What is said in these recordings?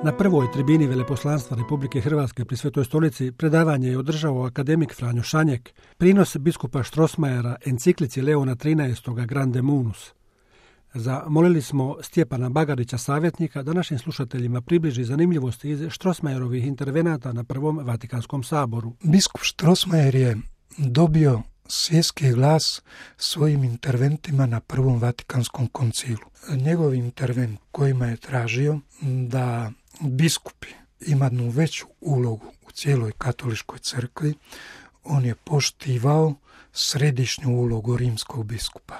Na prvoj tribini Veleposlanstva Republike Hrvatske pri Svetoj stolici predavanje je održao akademik Franjo Šanjek, prinos biskupa Strossmayera enciklici Leona XIII. Grande Munus. Zamolili smo Stjepana Bagarića, savjetnika, da našim slušateljima približi zanimljivosti iz Strossmayerovih intervenata na Prvom Vatikanskom saboru. Biskup Strossmayer je dobio svjetski glas svojim interventima na Prvom Vatikanskom koncilu. Njegov intervent kojima je tražio da biskupi imaju veću ulogu u cijeloj katoličkoj crkvi, on je poštivao središnju ulogu rimskog biskupa,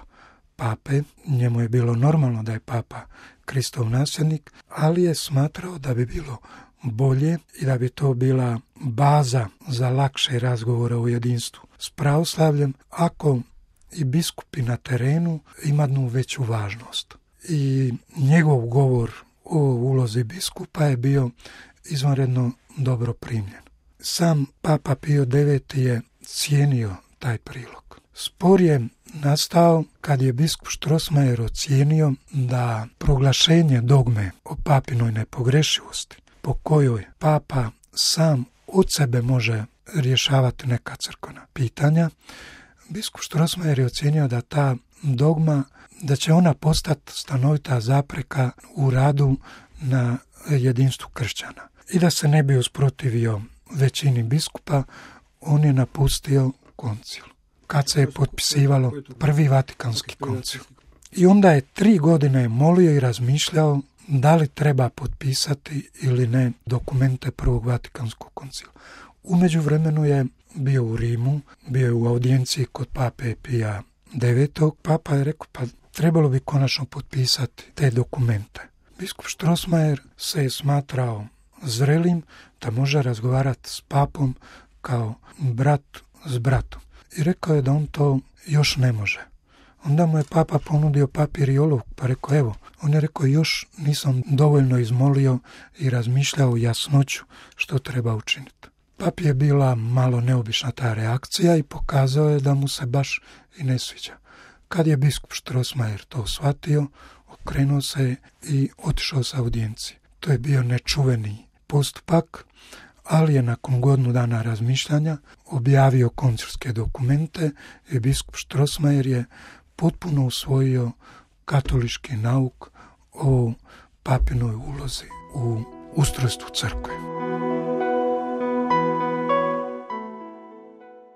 pape. Njemu je bilo normalno da je papa Kristov nasljednik, ali je smatrao da bi bilo bolje i da bi to bila baza za lakše razgovore o jedinstvu s pravoslavljem ako i biskupi na terenu imaju veću važnost. I njegov govor o ulozi biskupa je bio izvanredno dobro primljen. Sam Papa Pio IX je cijenio taj prilog. Spor je nastao kad je biskup Strossmayer ocijenio da proglašenje dogme o papinoj nepogrešivosti, po kojoj papa sam od sebe može rješavati neka crkvena pitanja, biskup Strossmayer je ocijenio da ta dogma, da će ona postati stanovita zapreka u radu na jedinstvu kršćana. I da se ne bi usprotivio većini biskupa, on je napustio koncil. Kad se je potpisivalo Prvi Vatikanski koncil. I onda je 3 godine molio i razmišljao da li treba potpisati ili ne dokumente Prvog Vatikanskog koncila. U međuvremenu je bio u Rimu, bio je u audijenciji kod pape Pija IX. Papa je rekao, pa trebalo bi konačno potpisati te dokumente. Biskup Strossmayer se je smatrao zrelim da može razgovarati s papom kao brat s bratom. I rekao je da on to još ne može. Onda mu je papa ponudio papir i olovku, pa rekao, evo, on je rekao, još nisam dovoljno izmolio i razmišljao jasnoću što treba učiniti. Papi je bila malo neobična ta reakcija i pokazao je da mu se baš i ne sviđa. Kad je biskup Strossmayer to shvatio, okrenuo se i otišao sa audijencije. To je bio nečuveni postupak, ali je nakon godinu dana razmišljanja objavio koncilske dokumente i biskup Strossmayer je potpuno usvojio katolički nauk o papinoj ulozi u ustrojstvu crkve.